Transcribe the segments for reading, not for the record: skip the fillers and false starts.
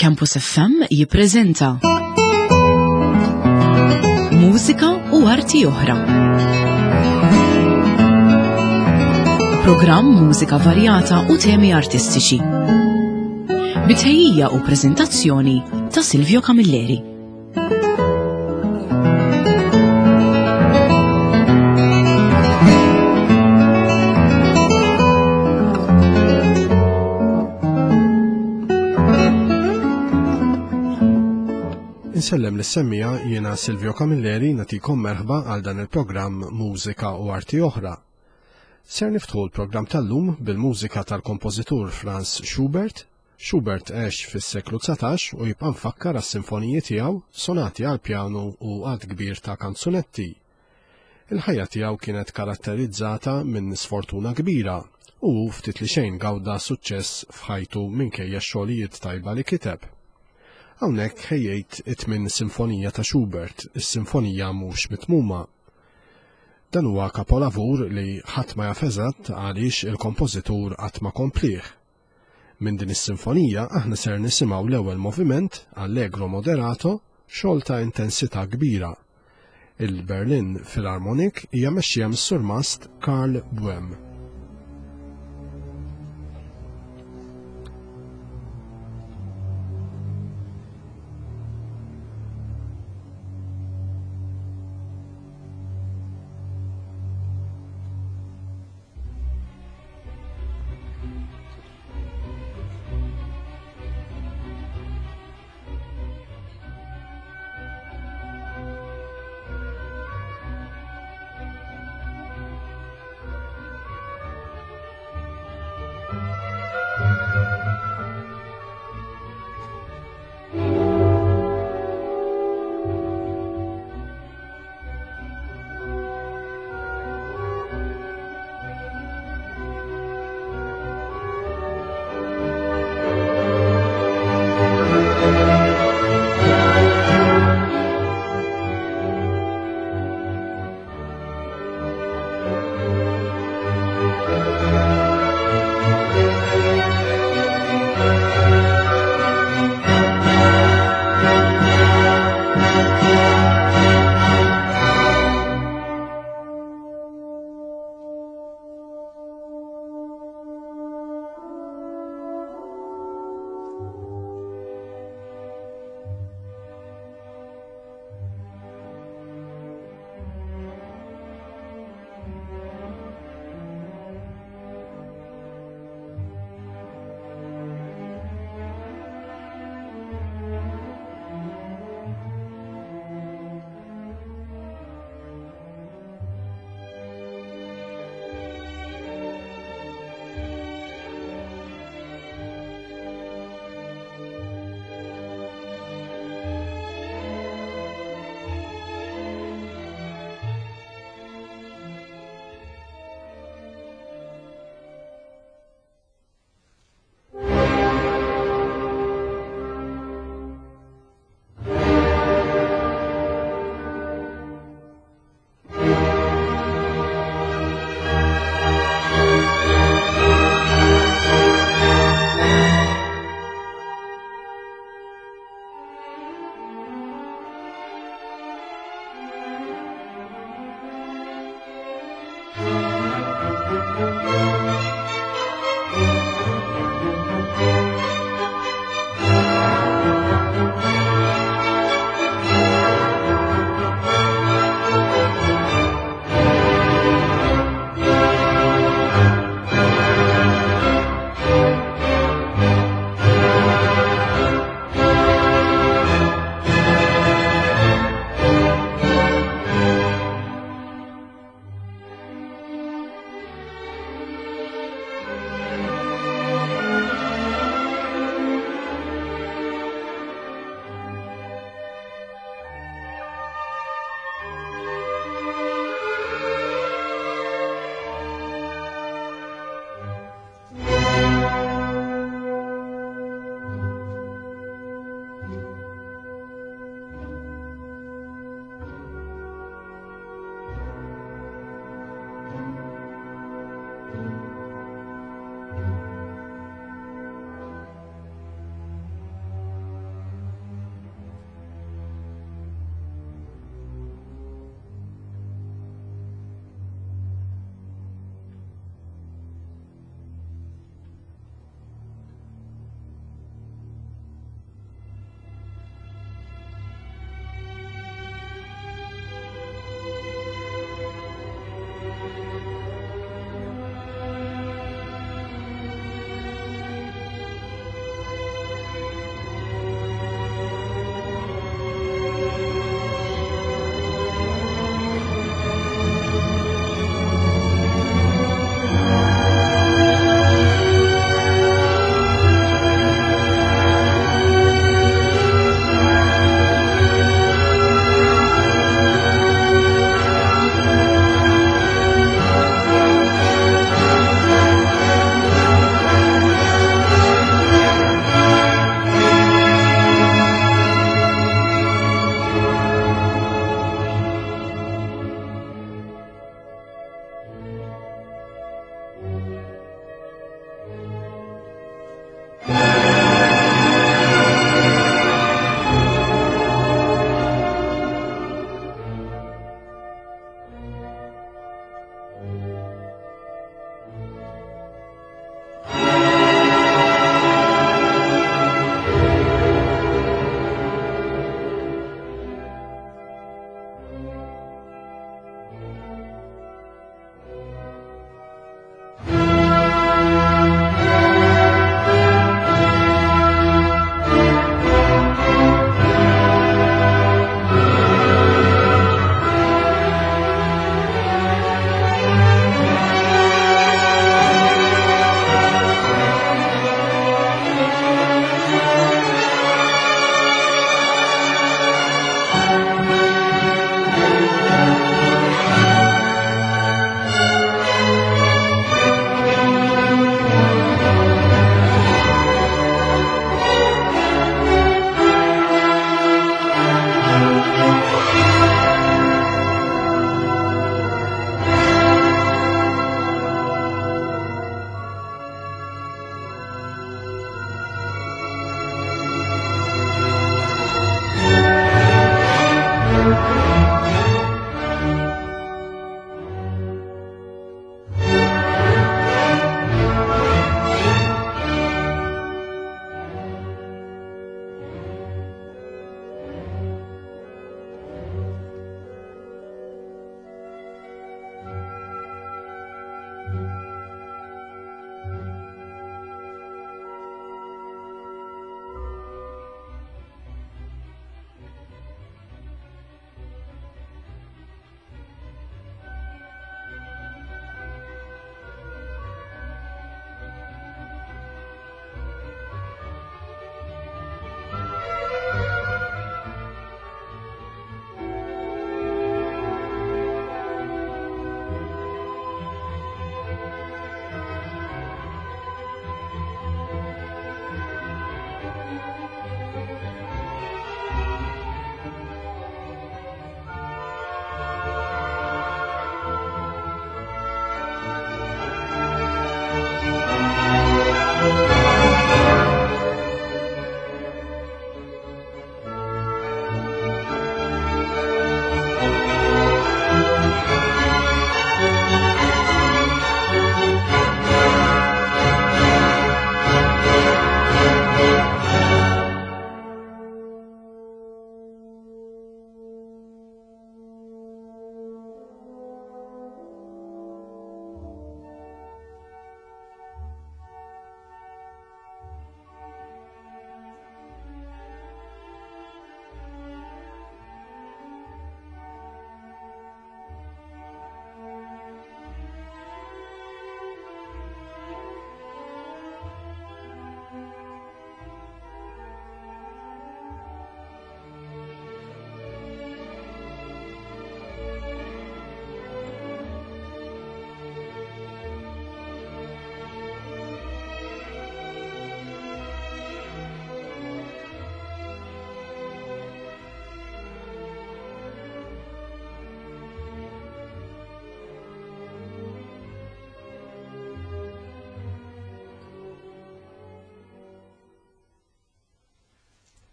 Campus FM jippreżenta Mużika u arti oħra. Programm mużika varjata u temi artistiċi. Bitħejjija u preżentazzjoni ta' Silvio Camilleri. Insellem lis-semmija jiena Silvio Camilleri natikom merħba għal dan il-programm Mużika u Arti Oħra. Ser niftħu l-programm tal-lum bil-mużika tal-kompożitur Franz Schubert Schubert għex fis-seklu 19 u jibqa' mfakkar għas-sinfoniji tiegħu, sonati għall-pjanu u għadd kbir ta' kanzunetti. Il-ħajja tiegħu kienet karatterizzata minn sfortuna kbira u hu ftit li xejn gawda suċċess f'ħajtu minkejja x-xogħlijiet tajba li kiteb. Hawnhekk ħejjejt it-tmien sinfonija ta' Schubert, is-Sinfonija Mhux Mitmuma. Dan huwa kapolavur li ħadd ma jaf eżatt għaliex il-kompożitur qatt ma komplieh. Minn din is-sinfonija aħna ser nisimgħu l-ewwel moviment, Allegro moderato, xogħol ta' intensità kbira. Il-Berlin Philharmonic hija mexxija mis-Surmast Karl Boehm.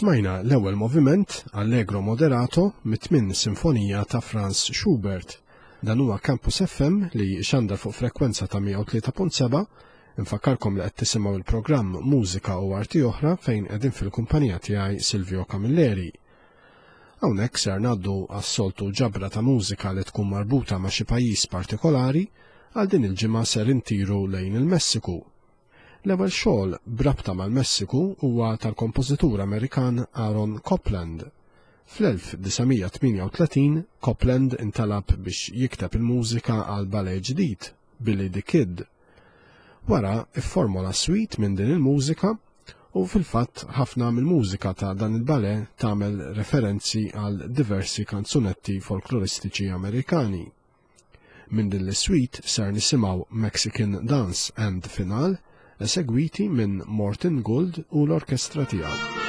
Smajna l-ewwel moviment, Allegro Moderato, mit-tmien sinfonija ta' Franz Schubert. Dan huwa Campus FM li xandar fuq frekwenza ta' 103.7. Infakkarkom li qed tisimgħu il-programm Mużika u Arti Oħra fejn qegħdin fil-kumpanija tiegħi Silvio Camilleri. Hawnhekk ser ngħaddu għas-soltu ġabra ta' mużika li tkun marbuta ma' xi pajjiż partikolari, għal din il-ġimgħa ser intiru lejn il-Messiku. L-ewwel xogħol b'rabta mal-Messiku huwa tal-kompożitur Amerikan Aaron Copland. Fl-1938 Copland intalab biex jikteb il-mużika għal ballet ġdid, Billy the Kid. Wara fformola suite minn din il-mużika u fil-fatt ħafna mill-mużika ta' dan il-ballet tagħmel referenzi għal diversi kanzunetti folkloristiċi Amerikani. Minn din l-suite ser nisimgħu Mexican Dance and Finale esegwiti minn Morton Gould u l-orkestra tiegħu.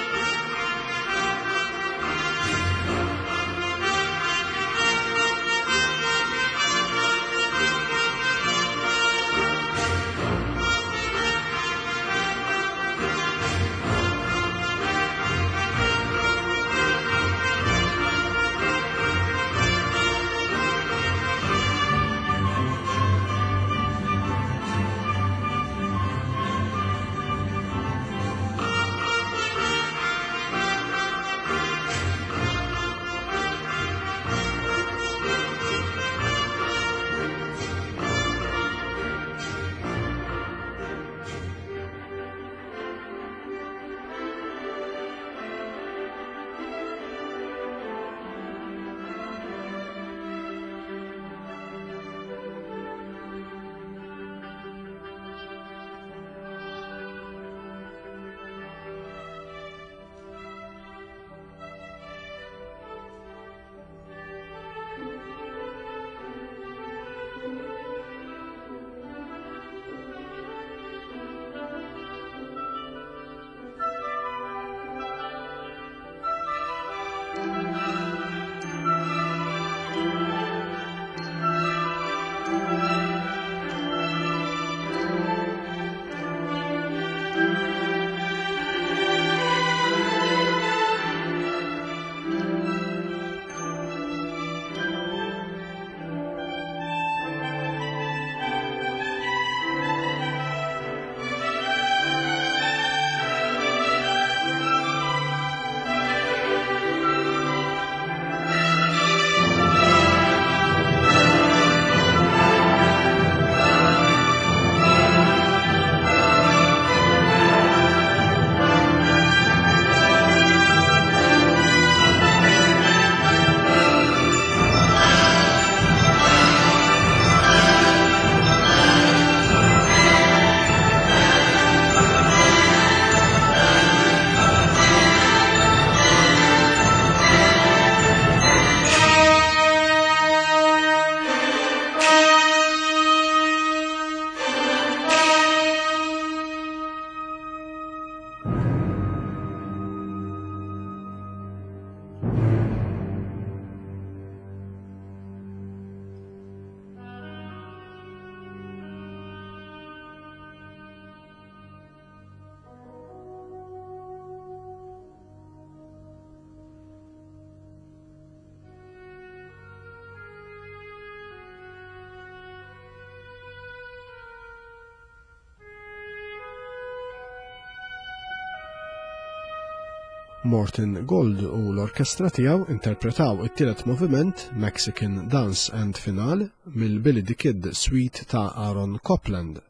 Morton Gold u l-orkestra tiegħu interpretaw it-tielet moviment Mexican Dance and Finale mill-Billy the Kid Suite ta' Aaron Copland.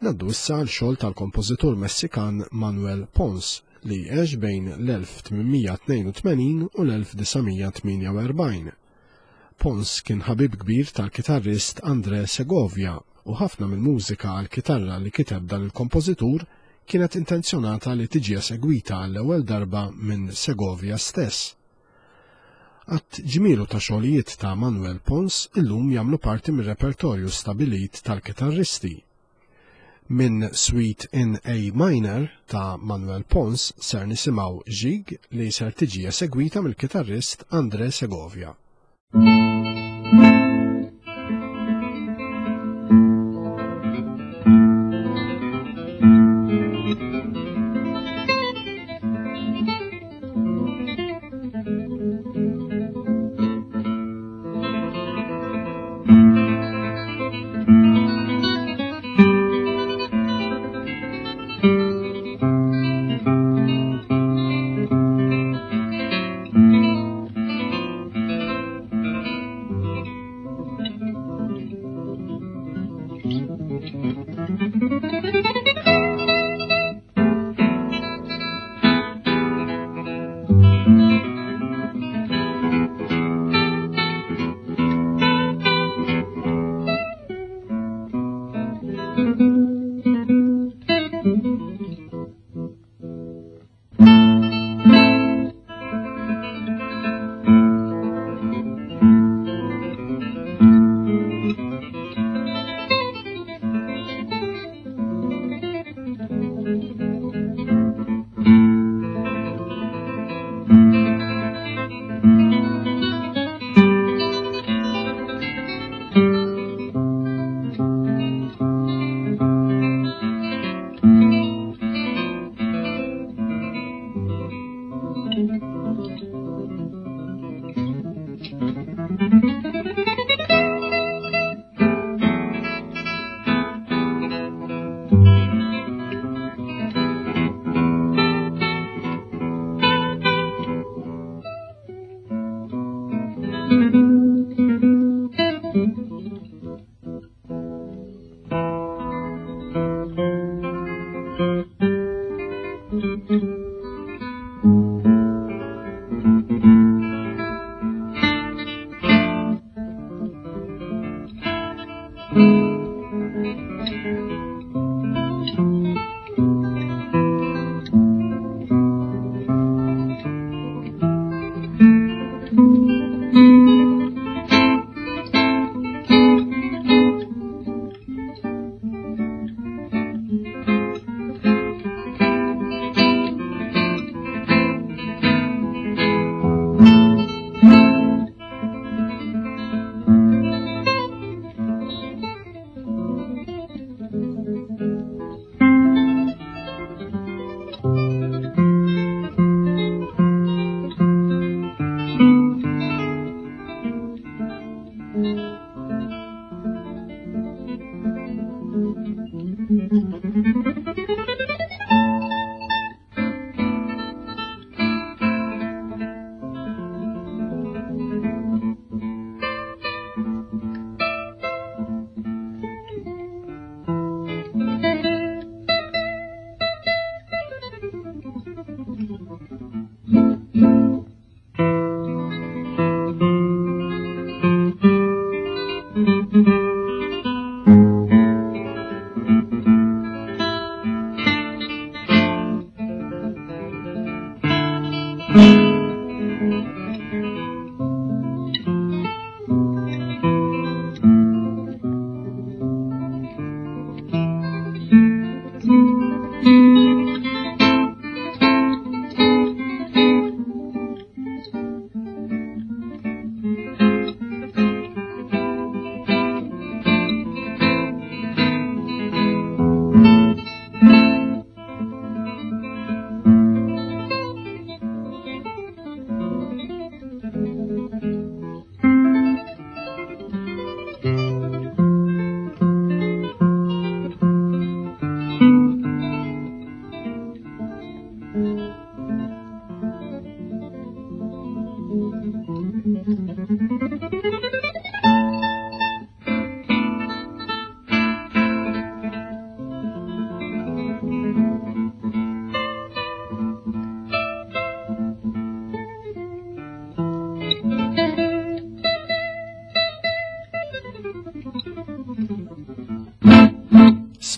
Naddu issa għal xogħol tal-kompożitur Messikan Manuel Pons li għex bejn l-1882 u l-1948. Pons kien ħabib kbir tal-kitarrist André Segovia u ħafna mill-mużika għall-kitarra li kiteb dan il-kompożitur kienet intenzjonata li tiġi esegwita għall-ewwel darba minn Segovia stess. Għadd ġmielu ta' xogħlijiet ta' Manuel Pons illum jagħmlu parti mir-repertorju stabilit tal-kitarristi. Minn Suite in A Minor ta' Manuel Pons ser nisimgħu Gigue li ser tiġi esegwita mill-kitarrist André Segovia.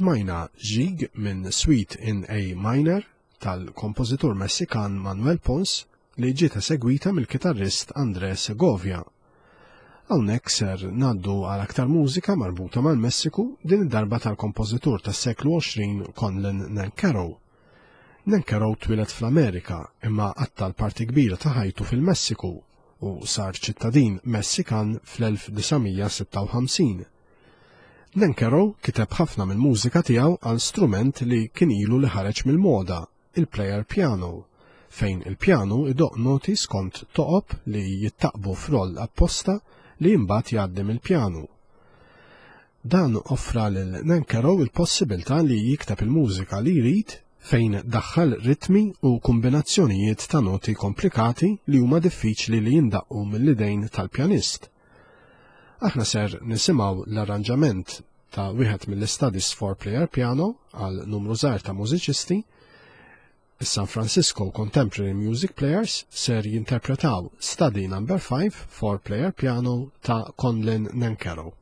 Smajna Gigue minn Suite in A Minor tal-kompożitur Messikan Manuel Pons li ġiet esegwita mill-kitarrist André Segovia. Hawnhekk ser ngħaddu għal aktar mużika marbuta mal-Messiku din id-darba tal-kompożitur tas-seklu 20 Conlon Nancarrow. Nancarrow twieled fl-Amerika imma qatta' l-parti kbira ta' ħajtu fil-Messiku u sar ċittadin Messikan fl-1956. Nancarrow kiteb ħafna mill-mużika tiegħu għal strument li kien ilu li ħareġ mill-moda, il-player piano, fejn il-pjanu idoqq noti skont toqob li jittaqbu f'roll apposta li imbagħad jgħaddi mill-pjanu. Dan offra lil Nancarrow il-possibilità li jikteb il-mużika li jrid fejn daħħal ritmi u kombinazzjonijiet ta' noti komplikati li huma diffiċli li jindaqqu mill-idejn tal-pjanist. Aħna ser nisimgħu l-arranġament ta' wieħed mill-Studies for Player Piano għal numru żgħir ta' mużiċisti. Is-San Francisco Contemporary Music Players ser jinterpretaw Study Number 5 for Player Piano ta' Conlon Nancarrow.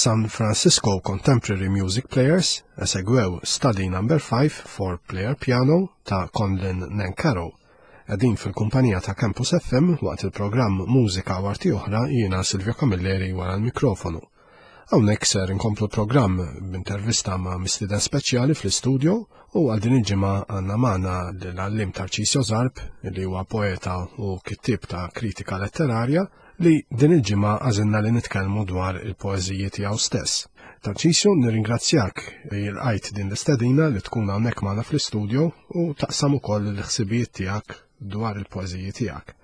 Is-San Francisco Contemporary Music Players esegwew Study Number 5 for Player Piano ta' Conlon Nancarrow. Qegħdin fil-kumpanija ta' Campus FM waqt il-programm Mużika u Arti Oħra jiena Silvio Camilleri wara l-mikrofonu. Hawnhekk ser inkomplu l-programm b'intervista ma' mistieden speċjali fl-istudio u għal din il-ġimgħa għandna magħna l-għalliem Tarcisio Zarb li huwa poeta u kittieb ta' kritika letterarja li din il-ġimgħa għażilna li nitkellmu dwar il-poeżiji tiegħu stess. Tarcisio, nirringrazzjak li lqajt din l-istedina li tkun hawnhekk magħna fl-istudio u taqsam ukoll il-ħsibijiet tiegħek dwar il-poeżiji tiegħek.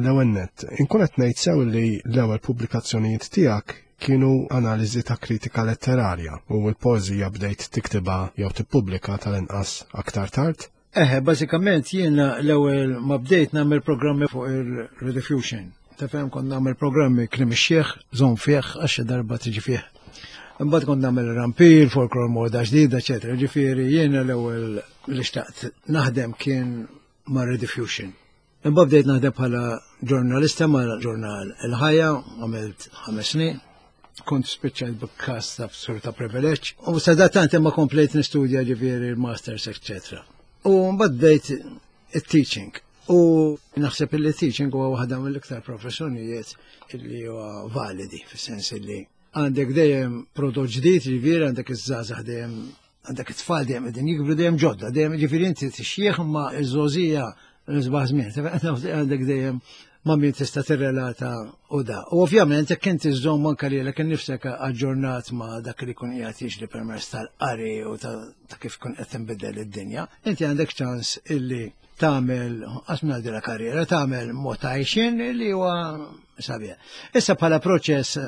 L-ewwel nett, inkun qed ngħid sew li l-ewwel pubblikazzjonijiet tiegħek kienu analiżi ta' kritika letterarja u l-poeżija bdejt tiktibha jew tippubblika tal-inqas aktar tard. Eħe, bażikament jiena l-ewwel ma bdejt nagħmel programmi fuq il-Rediffusion. Tafhem kont nagħmel programmi kliem ix-xiħ, żomm fih għax xi darba tiġi fih. Imbagħad kont nagħmel rampir, folklor moda ġdida, eċetera. Ġifieri jiena l-ewwel li xtaqt naħdem kien ma' Rediffusion. Imbagħad bdejt naħdem bħala ġurnalista ma' ġurnal Il-Ħajja, għamilt 5 snin. Kont spiċċajt b'każ ta' sur ta' privileġġ. U sadattant imma komplejt nistudja ġifieri l-masters, eċetera. U mbagħad bdejt it-teaching. U naħseb li teaching huwa waħda mill-iktar professjonijiet li huwa validi, fis-sens li għandek dejjem prodott ġdid, ġifieri għandek iż-żgħażagħ dejjem għandek it-tfal dejjem qegħdin jikbru dejjem ġodda, dejjem ġifieri inti tixjieħ imma ż-żgħożija l-isbaħ żmien, għandek dejjem ma' min tista' tirrelata u da. U ovvjament jekk inti żżomm anke lilek innifsek aġġornat ma' dak li jkun qiegħed jiġri permezz tal-qari u ta' kif tkun qed tinbidel id-dinja, inti għandek ċans illi tagħmel qas ngħidilha karriera, tagħmel mod ta' għajxien li huwa sabiħ. Issa bħala proċess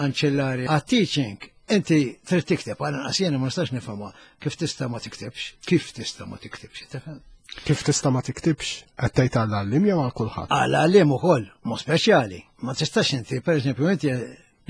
anċillari għat-teaching, inti trid tikteb, għal inqas jiena ma nistax nifhimha kif tista' ma tiktibx, kif tista' ma tiktibx, tifhem? Kif tista' ma tiktibx, qed tgħid għal għalliem jew għal kulħadd? Għal għalliem ukoll, mod speċjali. Ma tistax inti, pereżempju, inti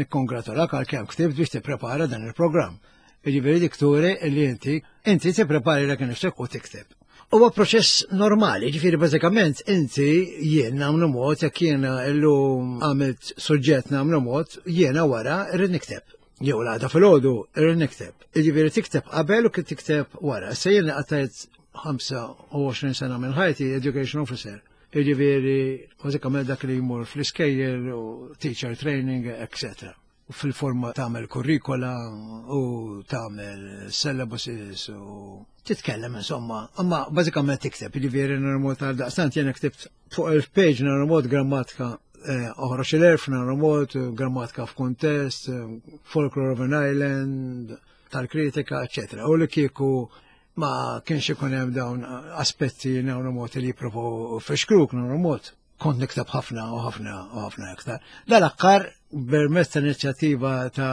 nikkongratulak għal kemm ktibt biex tipprepara dan il-programm. Jiġifieri dik turi li inti inti tipprepari lek nifsek u tikteb. Huwa proċess normali, ġifieri bażikament inti jien nagħmlu mod jekk jiena llum għamilt suġġett nagħmlu mod, jiena wara rrid nikteb. Jew l-għada filgħodu rrid nikteb. Jiġifieri tikteb qabel u kif tikteb wara. Issa jien qattajt 25 sena minn ħajti education officer. Jiġifieri bażikament dak li jmur fl-iskejjel u teacher training, etc. fil-forma tagħmel kurrikola u tagħmel syllabuses u titkellem insomma, imma bażikament tikteb, jiġifieri normot għal daqstant jiena ktibt fuq 1000 page normot grammatika eh, oħroġ il-erf normot grammatika f'kuntest, folklore of an island, tal-kritika, eccetera. U li kieku ma kienx ikun hemm dawn aspetti normot li jipprovaw fixkruk normot kont nikteb ħafna u ħafna u ħafna iktar. Dal-aħħar permezz ta' inizjattiva ta'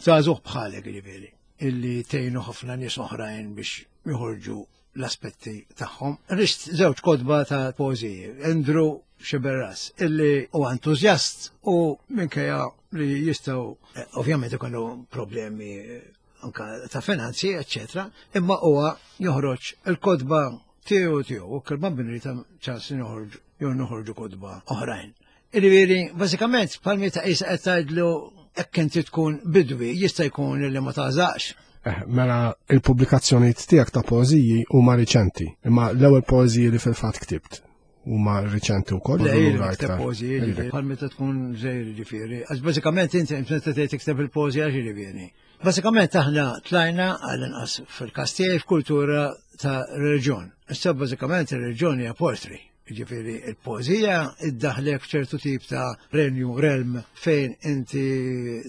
żagħżugħ bħalek ġifieri illi tgħinu ħafna nies oħrajn biex joħorġu l-aspetti tagħhom. Rist żewġ kotba ta' poeżiji, Andrew Xiberras, illi huwa entużjast u minkejja li jistgħu eh, ovvjament ikollu problemi eh, anka ta' finanzi, eccetera, imma huwa joħroġ il-kotba tiegħu tiegħu u kelma binri ta' ċans noħorġu jew noħorġu kotba oħrajn. Irivieri, bażikament bħal ta' qisha qed tgħidlu hekk inti tkun bidwi jista' jkun li ma tażax. Eh, mela il-pubblikazzjonijiet tiegħek ta' poeżiji huma riċenti, imma l-ewwel poeżiji li fil-fatt ktibt huma riċenti wkoll. Le, jikteb poeżiji, ġifieri, bħal meta tkun żejr ġifieri. Għax bażikament inti meta tgħid tikteb il-poeżija ġifieri. Bażikament aħna tlajna għall-inqas fil-każ tiegħi f'kultura ta' reliġjon. Issa bażikament ir-reliġjon hija poetry. Ġifieri il-poeżija iddaħlek f'ċertu tip ta' renju, realm fejn inti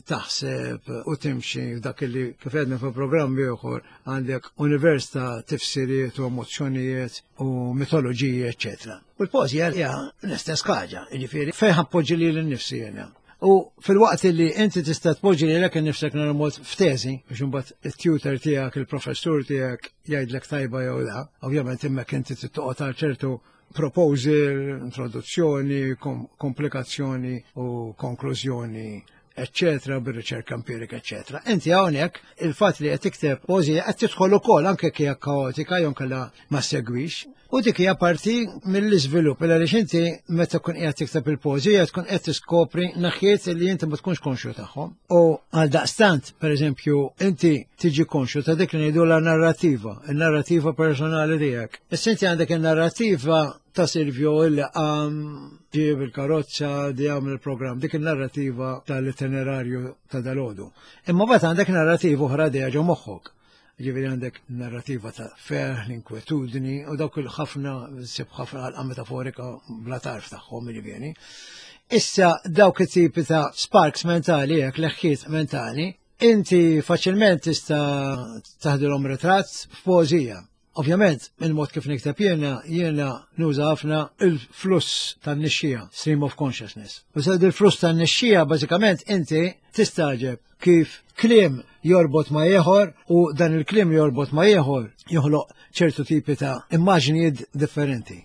taħseb u timxi f'dak li kif għedna fuq programm ieħor għandek univers ta' tifsiriet u emozzjonijiet u mitoloġiji, eċċetera. U l-poeżija hija l-istess ħaġa, jiġifieri fejn ħappoġġi lili nnifsi jiena. U fil-waqt li inti tista' tpoġġi lilek innifsek nhar f'teżi biex imbagħad it-tutor tiegħek, il-professur tiegħek jgħidlek tajba jew la, ovvjament hemmhekk inti trid toqgħod għal ċertu proposal, introduzzjoni, komplikazzjoni u konklużjoni eccetera, bir-riċerka empirika, eccetera. Inti hawnhekk il-fatt li qed tikteb poeżija qed tidħol ukoll anke hija kaotika jew inkella ma segwix. U dik hija parti mill-iżvilupp, għaliex inti meta tkun qiegħed tikteb il-poeżija tkun qed tiskopri naħiet li inti ma tkunx konxju tagħhom. U għal daqstant, pereżempju, inti tiġi konxju ta' dik li ngħidu la narrativa, il-narrativa personali tiegħek. Issa inti għandek il-narrativa ta' Silvio illi qam ġieb il-karozza di għamel il-programm, dik il-narrativa tal-itinerarju ta' dalodu. Imma bat għandek narrativa oħra dejja ġo moħħok. Ġifieri għandek narrativa ta' ferħ, l-inkwetudni u dawk il-ħafna sib ħafna għalqa metaforika bla tarf tagħhom ġifieri. Issa dawk it-tipi ta' sparks mentali, jekk leħħiet mentali, inti faċilment tista' taħdilhom ritratt f'poeżija. Ovvjament, il-mod kif nikteb jiena, jiena nuża ħafna il-fluss tan-nixxija, stream of consciousness. U sa il-fluss tan-nixxija, bażikament inti tistaġeb kif kliem jorbot ma' ieħor u dan il-kliem jorbot ma' ieħor joħloq ċertu tipi ta' immaġnijiet differenti.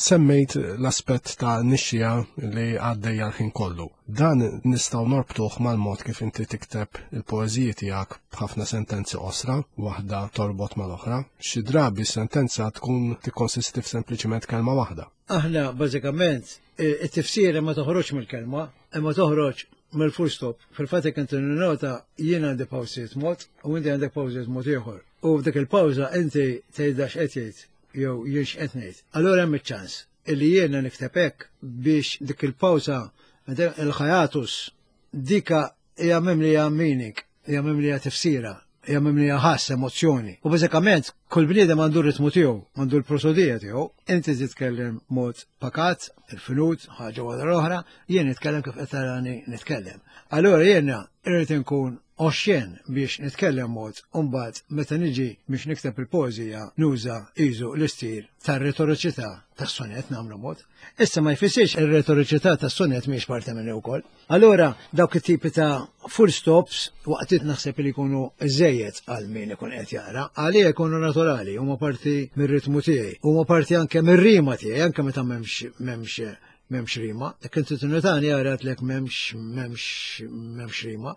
Semmejt l-aspett ta' nixxija li għaddejja l-ħin kollu. Dan nistgħu norbtuh mal-mod kif inti tikteb il-poeżiji tiegħek b'ħafna sentenzi qosra, waħda torbot mal-oħra. Xi drabi sentenza tkun tikkonsisti f'sempliċiment kelma waħda. Aħna bażikament it-tifsira ma toħroġ mill-kelma, imma toħroġ mill-full stop. Fil-fatt jekk inti nota jien għandi pawsiet mod u inti għandek pawsiet mod ieħor. U f'dik il-pawża inti tgħidha x'qed jgħid jew jien x'qed ngħid. Allura hemm iċ-ċans illi jiena nikteb hekk biex dik il-pawża il-ħajatus dika hija mimlija meaning, hija mimlija tifsira, hija mimlija ħass emozzjoni. U bażikament kull bniedem għandu r-ritmu tiegħu, għandu l-prosodija tiegħu. Inti titkellem mod pakat, il-finut, ħaġa wara l-oħra, jien nitkellem kif qed tarani nitkellem. Allura jiena irrid inkun oxxen biex nitkellem mod u mbagħad meta niġi biex nikteb il-poeżija nuża iżu l-istil tar-retoriċità tas-sonett nagħmlu mod. Issa ma jfissirx ir-retoriċità tas-sonett mhijiex parti minni wkoll. Allura dawk it-tipi ta' full stops waqtiet naħseb li jkunu żejjed għal min ikun qed jaqra, għalija jkunu naturali, huma parti mir-ritmu tiegħi, huma parti anke mir-rima tiegħi, anke meta m'hemmx m'hemmx m'hemmx rima. Jekk inti tinnotani għarat lek m'hemmx m'hemmx m'hemmx rima.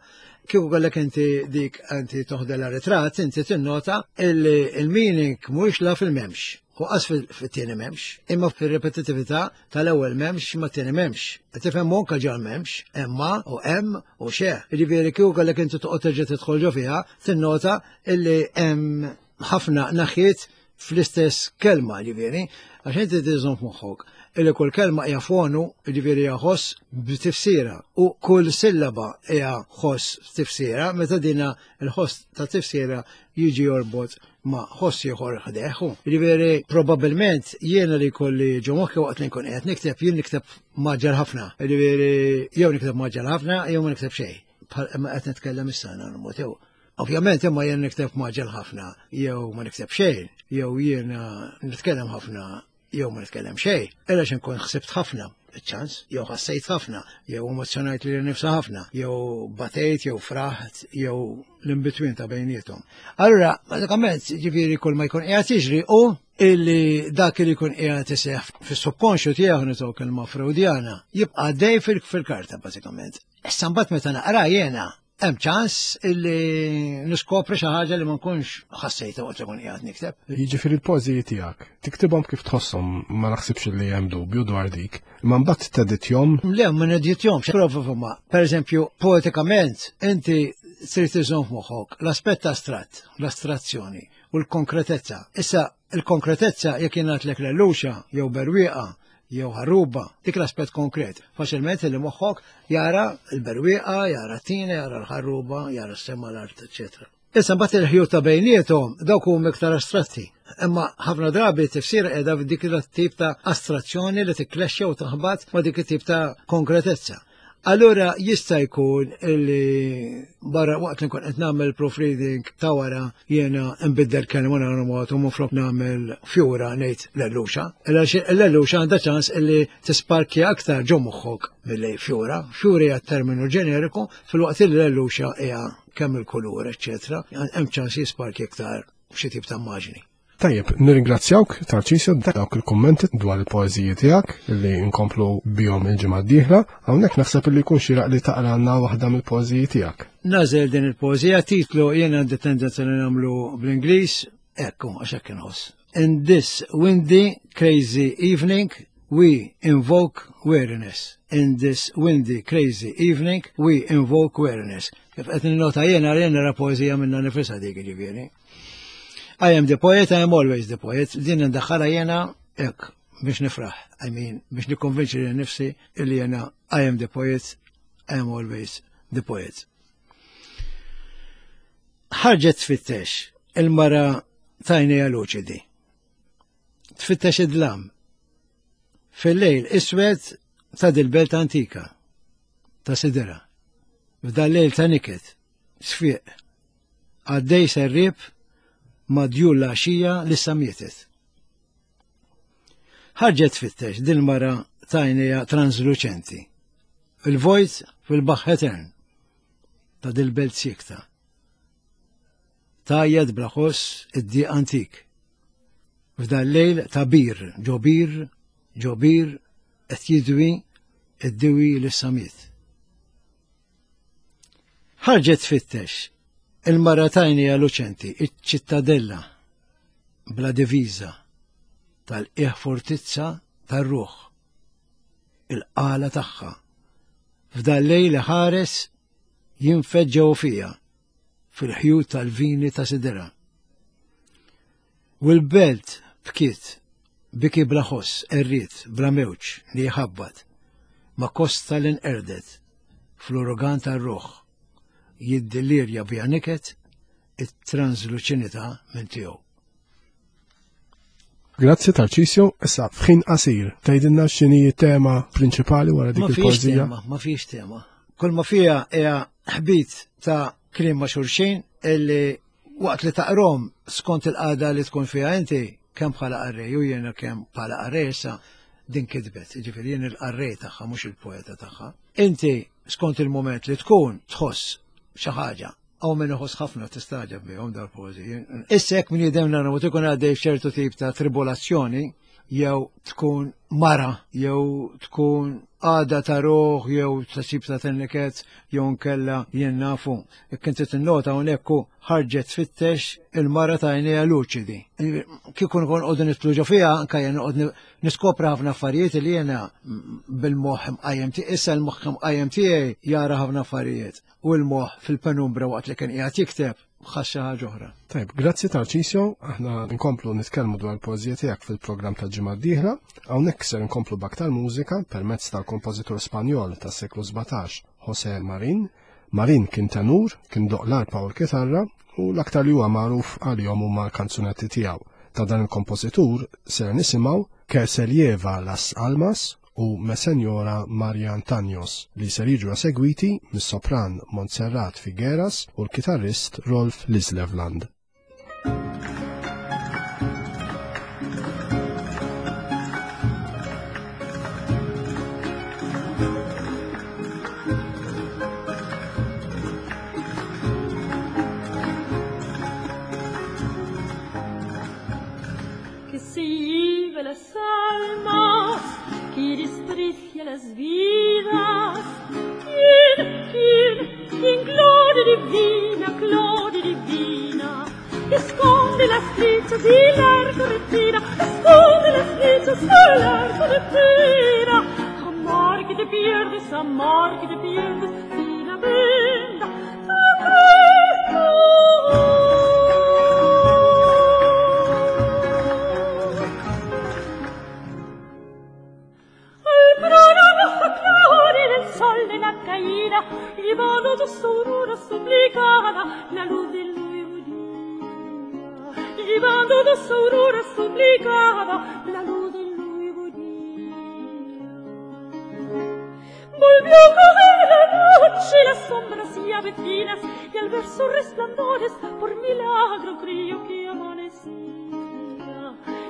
Kieku kellek inti dik inti toħdela ritratt, inti tinnota illi il-meaning mhuwiex la fil-m'hemmx. U qas fit-tieni m'hemmx, imma fir-repetitività tal-ewwel m'hemmx ma tieni m'hemmx. Tifhem anke ġal m'hemmx, emma u hemm u xe. Jiġifieri kieku kellek inti toqgħod terġa' tidħol ġo fiha, tinnota illi hemm ħafna naħiet fl-istess kelma ġifieri, għax inti tiżżomm f'moħħok illi kull kelma hija fonu, ġifieri hija ħoss b'tifsira u kull sillaba hija ħoss b'tifsira, meta dina l-ħoss ta' tifsira jiġi jorbot ma' ħoss ieħor ħdeħ. Ġifieri probabbilment jiena li jkolli ġo moħħi waqt li nkun qed nikteb, jien nikteb maġġel ħafna. Ġifieri jew nikteb maġġel ħafna jew ma nikteb xejn. Bħal imma qed nitkellem issa mod jew. Ovvjament imma jien nikteb maġġel ħafna jew ma nikteb xejn, jew jiena nitkellem ħafna jew ma nitkellem xejn. Illa nkun ħsibt ħafna ċans, jew ħassejt ħafna, jew emozjonajt li nifsa ħafna, jew batejt, jew fraħt, jew l-in-between ta' bejnietom. Allura, bażikament, ġifieri kull ma jkun qiegħed jiġri u illi dak li jkun qiegħed iseħħ fis-subkonxju tiegħu nitgħu kelma Freudjana, jibqa' dej fil-karta bażikament. Issa mbagħad meta naqra jiena hemm ċans illi niskopri xi ħaġa li ma nkunx ħassejta waqt li nkun qiegħed nikteb. Jiġifieri l-poeżiji tiegħek, tiktibhom kif tħosshom, ma naħsibx li hemm dubju dwar dik, imma mbagħad teditjhom. Le, ma neditjhomx, prova fhimha. Pereżempju, poetikament inti trid iżomm f'moħħok l-aspett astratt, l-astrazzjoni u l-konkretezza. Issa il-konkretezza jekk jingħadlek lelluxa jew berwieqa jew ħarruba, dik l-aspett konkret. Faċilment li moħħok jara l-berwieqa, jara t-tina, jara l-ħarruba, jara s-sema l-art, eċetera. Issa mbagħad il-ħjut ta' bejniethom dawk huma iktar astratti. Imma ħafna drabi tifsir qiegħda f'dik it-tip ta' astrazzjoni li tikklexxa u taħbat ma' dik it-tip ta' konkretezza. Allura jista' jkun li barra waqt li nkun qed nagħmel proofreading ta' wara jiena nbiddel kelma nagħmlu mod u minflok nagħmel fjura ngħid l-elluxa. L-elluxa għandha ċans illi tisparkja aktar ġo moħħok milli fjura. Fjura hija terminu ġeneriku filwaqt li l-elluxa hija kemm il-kulur, eċċetera. Hemm ċans jisparkja iktar xi tip ta' immaġni. Tajjeb, nirringrazzjawk Tarċisio dawk il-kummenti dwar il-poeżiji tiegħek li nkomplu bihom il-ġimgħa d-dieħla. Hawnhekk naħseb li jkun xieraq li taqralna waħda mill-poeżiji tiegħek. Nażel din il-poeżija titlu jien għandi tendenza li nagħmlu bl-Ingliż, ekku għax hekk inħoss. In this windy, crazy evening, we invoke weariness. In this windy, crazy evening, we invoke weariness. Kif qed ninnota jiena jien nara poeżija minna nifisha dik ġifieri. I am the poet, I am always the poet. Din ndaħħalha jena hekk biex nifraħ. I mean, biex nikkonvinċi li nifsi illi jena I am the poet, I am always the poet. Ħarġet tfittex il-mara tajnija luċidi. Tfittex id-dlam. Fil-lejl iswed ta' dil-belt antika ta' sidira. F'dal-lejl ta' niket, sfiq, Għaddej serrib ma' djul l-għaxija li sa mietet. Ħarġet tfittex din mara tajnija transluċenti. Il-vojt fil-baħħ etern ta' dil-belt siekta. Tgħajjat bla ħoss id-dieq antik. F'dan lejl ta' bir, ġo bir, ġo bir, qed jidwi id-diwi li samiet. Ħarġet tfittex il-mara tajnija luċenti, iċ-ċittadella bla diviża tal-qiegħ fortizza tar-ruħ, il-qala tagħha. F'dan lejl ħares jinfed ġew fija fil-ħjut tal-vini ta' sidira. U l-belt bkiet, biki bla ħoss, erriet, bla mewġ li jħabbat, ma kosta li nqerdet fl-urugan tar-ruħ, jiddilirja bija niket it-transluċinità minn tiegħu. Grazzi Tarcisio, issa f'ħin qasir, tgħidilna x'inhi tema prinċipali wara dik il-poeżija? Ma fiex tema. Kull ma fiha hija ħbit ta' kliem ma' xulxin illi waqt li taqrom skont il-qagħda li tkun fiha inti kemm bħala qarrej u jiena kemm bħala qarrej issa din kitbet, jiġifieri jien il-qarrej tagħha mhux il-poeta tagħha. Inti skont il-mument li tkun tħoss xi ħaġa Hawn min iħoss ħafna tistagħġeb bihom dal-poeżiji. Issa jekk min jidhem nara ikun għaddej f'ċertu tip ta' tribolazzjoni jew tkun mara jew tkun għada ta' ruħ jew ta' tip ta' tenniket jew nkella jien nafu. Jekk inti tinnota hawnhekk hu ħarġet tfittex il-mara ta' għajnejha luċidi. Kieku nkun qogħdu nitlu ġo fiha anke jien noqgħod niskopri ħafna affarijiet li jiena bil-moħħ imqajjem tiegħi, issa l-moħħ imqajjem tiegħi jara ħafna affarijiet. u l-moħħ fil-penumbra waqt li kien qiegħed jikteb ħass xi ħaġa oħra. Tajb, grazzi Tarcisio, aħna nkomplu nitkellmu dwar il-poeżija tiegħek fil-programm tal-ġimgħa d-dieħla, hawnhekk ser nkomplu b'aktar mużika permezz tal-kompożitur Spanjol tas-seklu 17, José Marin. Marin kien tenur, kien doq l-arpa u l-kitarra u l-aktar li huwa magħruf għalihom huma l-kanzunetti tiegħu. Ta' dan il-kompożitur ser nisimgħu Que se lleva las almas u Mesenjora Marian Tanyos li ser jiġu esegwiti mis-sopran Montserrat Figueras u l-kitarrist Rolf Lislevland. Que se lleve las almas, que desprecia las vidas. ¿Quién, quién, quién, gloria divina, gloria divina, esconde las flechas y el arco retira, esconde las flechas y el arco retira. Amor que te pierdes, amor que te pierdes, sin la venda te Al sol de la caída, llevando dos auroras suplicada la luz del nuevo día. Llevando dos auroras suplicada la luz del nuevo día. Volvió a caer la noche, las sombras ya vecinas, y al ver sus resplandores, por milagro creyó que amanecía.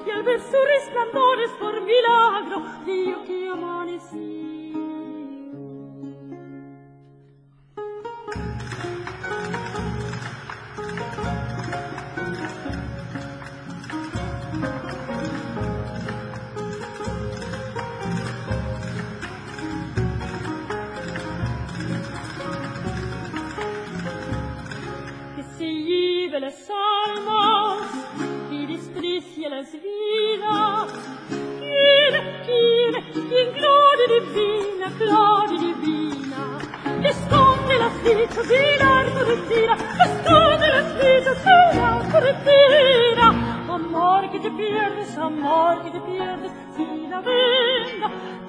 Y al ver sus resplandores, por milagro creyó que amanecía. Que se lleve las almas y desprecia las vidas. ¿Quién, quién, quién, gloria divina, gloria divina, esconde las flechas y el arco retira, esconde las flechas y el arco retira. Amor que te pierdes, amor que te pierdes, sin la venda te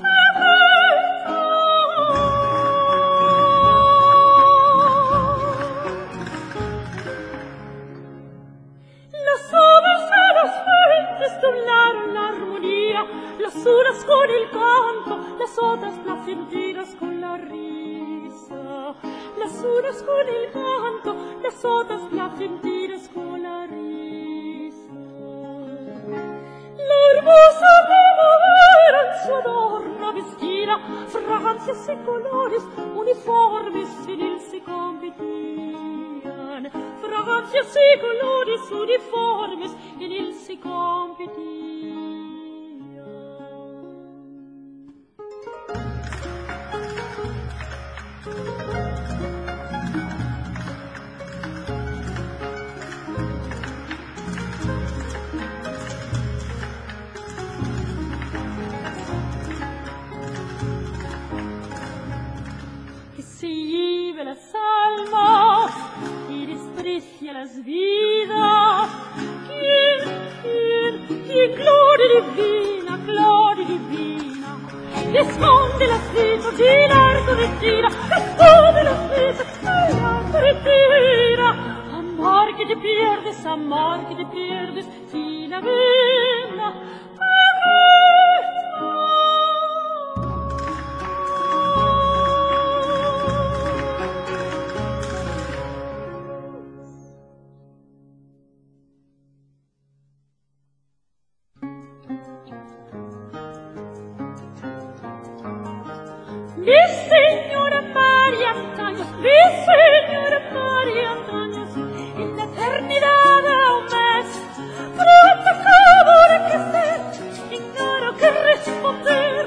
Las aves a las fuentes doblaron la armonía, las unas con el canto, las otras placenteras con la risa. Las unas con el canto, las otras placenteras con la risa. su adorno vestida, fragancias y colores uniformes en él se competían. Fragancias y colores uniformes en él se competían. Que se lleve las almas y desprecia las vidas. ¿Quién, quién, quién, gloria divina, gloria divina, que esconde las flechas y el arco retira, esconde las flechas y el arco retira? Amor que te pierdes, amor que te pierdes, sin la vena Mi señora María Antonio, mi señora María Antonio, en la eternidad aún más, pronto acabo de crecer, ignoro qué responder.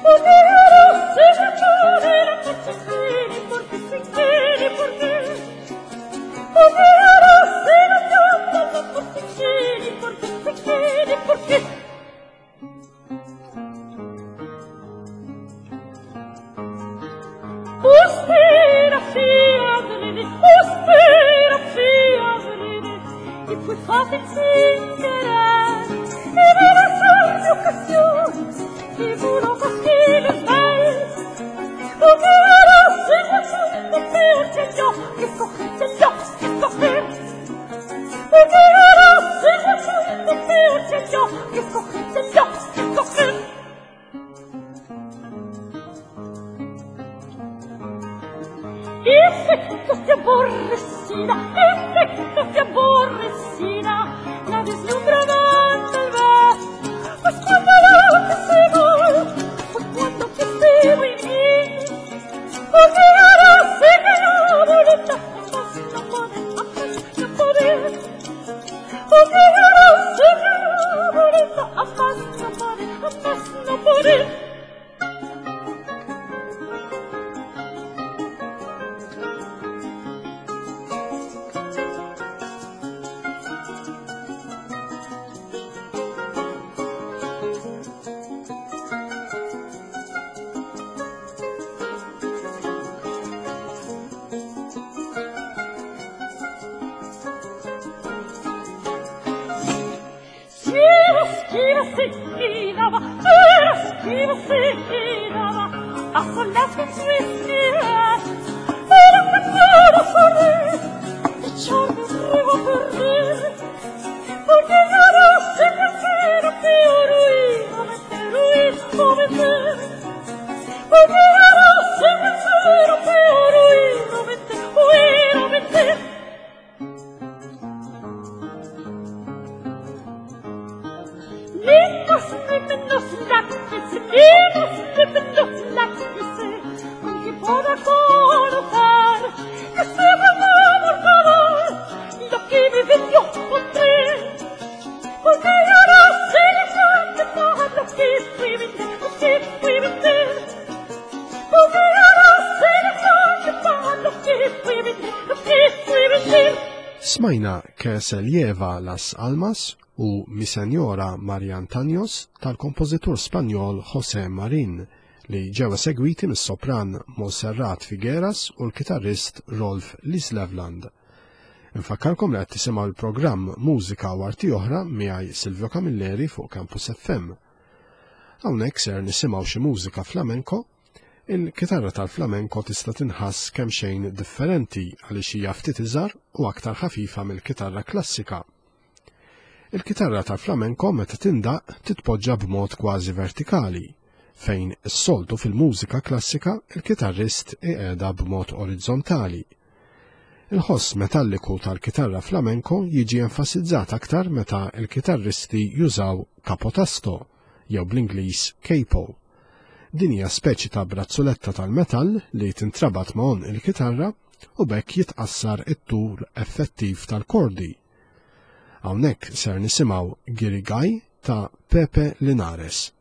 Poderoso de la noche, ni por qué se quiere, por qué. Poderoso de la noche, ni por qué se quiere, por qué. Usted hacía adrede y fue fácil sin querer. Y de de ocasión y pudo cosquillas mal. Hubiera sido asunto peor que yo, que escoger, que yo, que escoger. Hubiera sido asunto peor que yo, que escoger, que yo, que escoger. Efectos de aborrecida, efectos de aborrecida, la deslumbrarán tal vez. Pues cuando lo que se va, pues cuando que se venir, porque ahora se que la boleta, más no poder, más no poder. Porque ahora se que la boleta, más no poder, más no poder. Smajna Que se lleva las almas u Mi Senjora Maria Antanios tal-kompożitur Spanjol José Marin li ġew esegwiti mis-sopran Monserrat Figueras u l-kitarrist Rolf Lislevland. Infakkarkom li qed tisimgħu l-programm Mużika u Arti Oħra miegħi Silvio Camilleri fuq Campus FM. Hawnhekk ser nisimgħu xi mużika flamenko. Il-kitarra tal-flamenko tista' tinħass kemm xejn differenti għaliex hija ftit iżgħar u aktar ħafifa mill-kitarra klassika. Il-kitarra tal-flamenko meta tindaq titpoġġa b'mod kważi vertikali, fejn is-soltu fil-mużika klassika il-kitarrist iqiegħda b'mod orizzontali. Il-ħoss metalliku tal-kitarra flamenko jiġi enfasizzat aktar meta l-kitarristi jużaw capotasto, jew bl-Ingliż capo. Din hija speċi ta' brazzuletta tal-metall li tintrabat ma' għonq il-kitarra u b'hekk jitqassar it-tul effettiv tal-kordi. Hawnhekk ser nisimgħu Girigaj ta' Pepe Linares.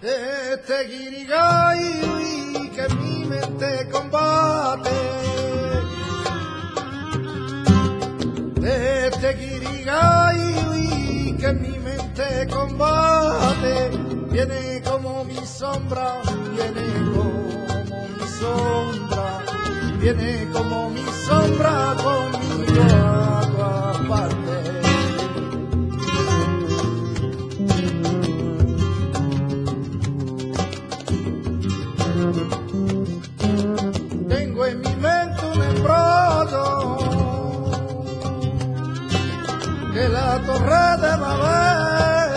Este guirigay que mi mente combate. Este guirigay que mi mente combate. Viene como mi sombra, viene como mi sombra, viene como mi sombra conmigo a todas partes. Tengo en mi mente un embrollo que la torre de Babel,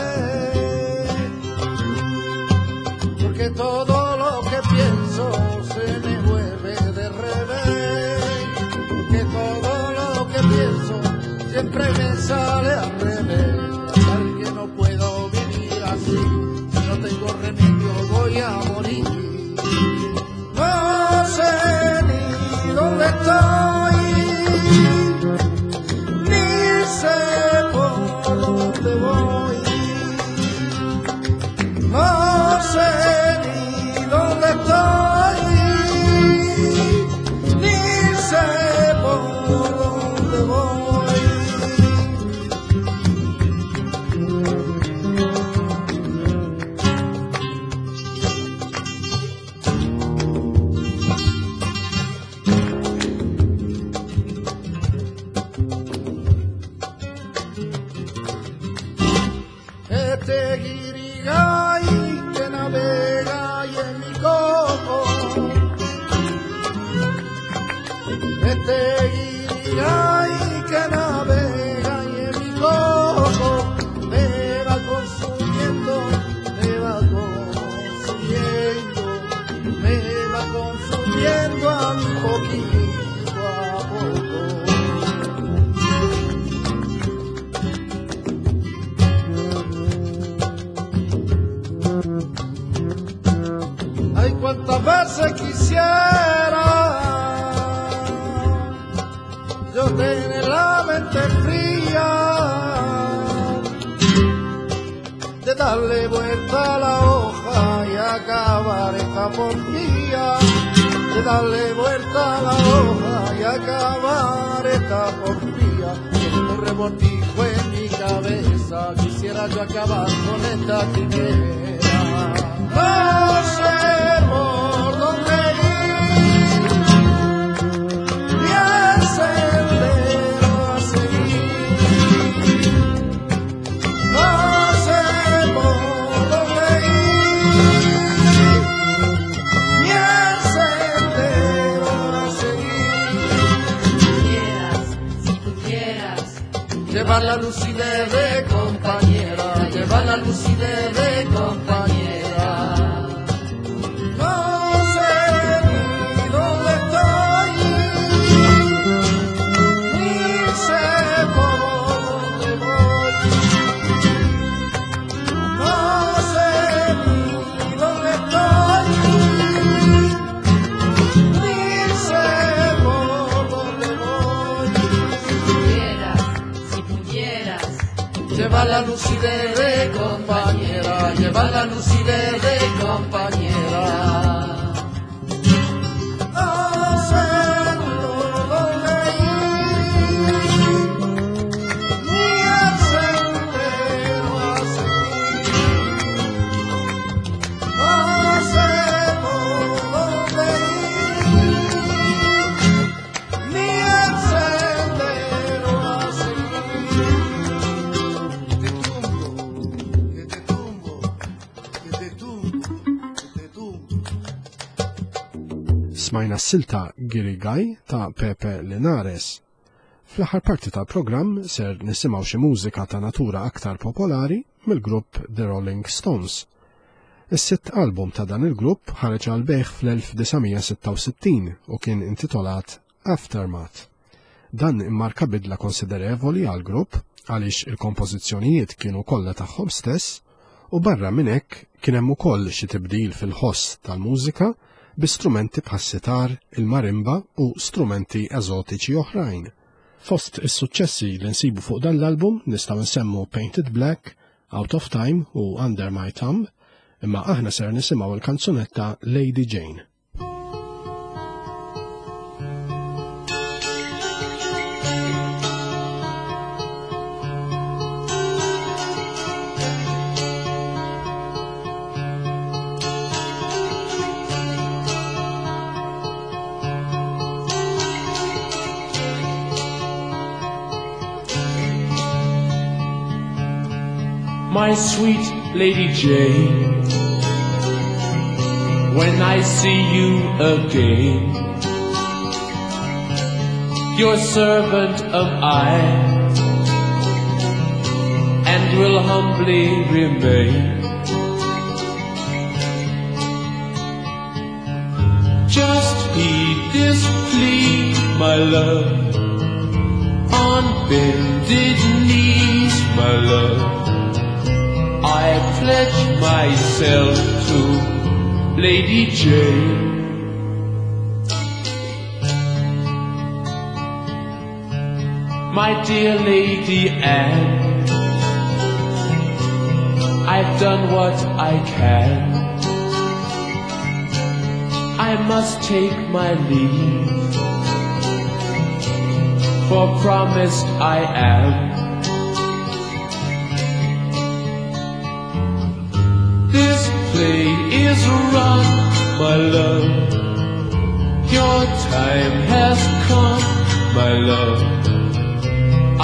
porque todo lo que pienso se me vuelve de revés, que todo lo que pienso siempre me sale al revés, tal que no puedo vivir así, si no tengo remedio voy a morir. No sé ni dónde estoy, ni sé por dónde voy. No sé ni dónde estoy, ni sé por dónde voy. Este guirigay que navega y en mi coco. Este guirigay que navega y en mi coco. Me va consumiendo, me va consumiendo, me va consumiendo a mi poquito a poco. Ay, cuántas veces quisiera yo tener la mente fría, de darle vuelta a la hoja y acabar esta porfía, de darle vuelta a la hoja y acabar esta porfía. Con un revoltijo en mi cabeza, quisiera yo acabar con esta quimera. No sé por dónde ir, ni el sendero a seguir. No sé por dónde ir, ni el sendero a seguir. Si pudieras, Llevar la lucidez de compañera, llevar la lucidez de compañera. No sé ni dónde estoy, ni sé por dónde voy. No sé ni dónde estoy, ni sé por dónde voy. si pudieras, Llevar la lucidez de compañera, llevar la lucidez de compañera. No sé por dónde ir, ni el sendero a seguir. No sé por dónde ir, ni el sendero a seguir. Que te tumbo, que te tumbo, que te tumbo. Smajna s-silta Girigaj ta' Pepe Linares. Fl-aħħar parti tal-programm ser nisimgħu xi mużika ta' natura aktar popolari mill-grupp The Rolling Stones. Is-sitt album ta' dan il-grupp ħareġ għal bejħ fl-1966 u kien intitolat Aftermath. Dan immarka bidla konsiderevoli għall-grupp għaliex il-kompożizzjonijiet kienu kollha tagħhom stess u barra minn hekk kien hemm ukoll xi tibdil fil-ħoss tal-mużika bi strumenti bħas-sitar, il-marimba u strumenti eżotiċi oħrajn. Fost is-suċċessi li nsibu fuq dan l-album nistgħu nsemmu Painted Black, Out of Time u Under My Thumb, imma aħna ser nisimgħu l-kanzunetta Lady Jane. My sweet Lady Jane, when I see you again, your servant am I, and will humbly remain. Just heed this plea, my love, on bended knees, my love. I pledge myself to Lady Jane. My dear Lady Anne, I've done what I can. I must take my leave, for promised I am. This play is run, my love. Your time has come, my love. I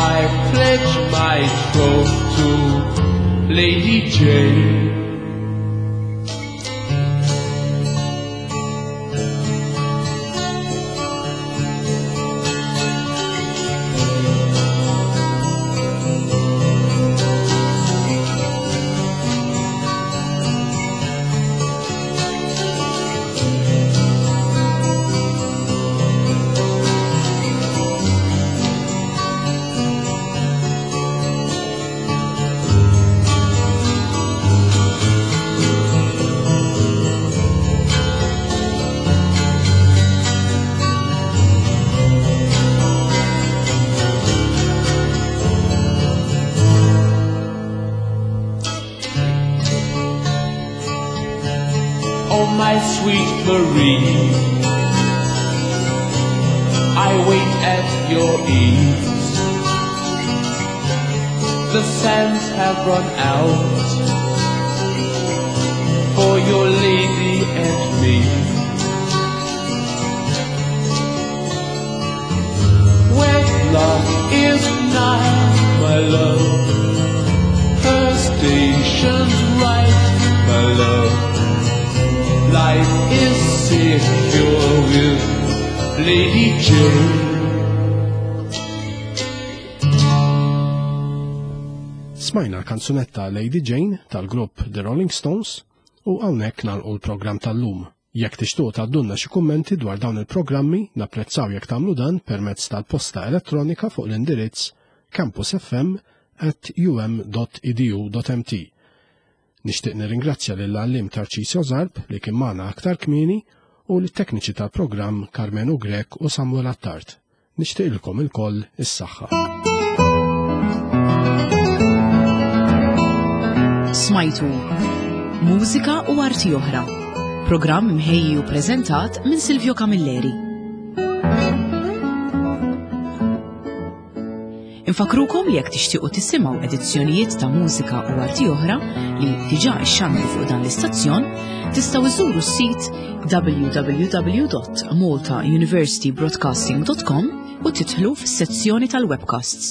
pledge my troth to Lady Jane. Oh, my sweet Marie, I wait at your ease. The sands have run out for your lady and me. Wedlock is nigh, my love. Her station's right, my love. Life is secure with Lady Jane. Smajna l-kanzunetta Lady Jane tal-grupp The Rolling Stones u hawnhekk nagħlqu l-programm tal-lum. Jekk tixtuq tgħaddulna xi kummenti dwar dawn il-programmi, napprezzaw jekk tagħmlu dan permezz tal-posta elettronika fuq l-indirizz campusfm@um.edu.mt. Nixtieq nirringrazzja lill-għalliem Tarcisio Zarb li kien magħna aktar kmieni u lit-tekniċi tal-programm Karmenu Grech u Samuel Attard. Nixtieqilkom ilkoll is-saħħa. Smajtu Mużika u Arti Oħra. Programm imħejji u preżentat minn Silvio Camilleri. Infakrukom li jekk tixtiequ tisimgħu edizzjonijiet ta' mużika u arti oħra li diġà ixxandru fuq dan l-istazzjon, tistgħu iżuru s-sit www.maltauniversitybroadcasting.com u tidħlu fis-sezzjoni tal-webcasts.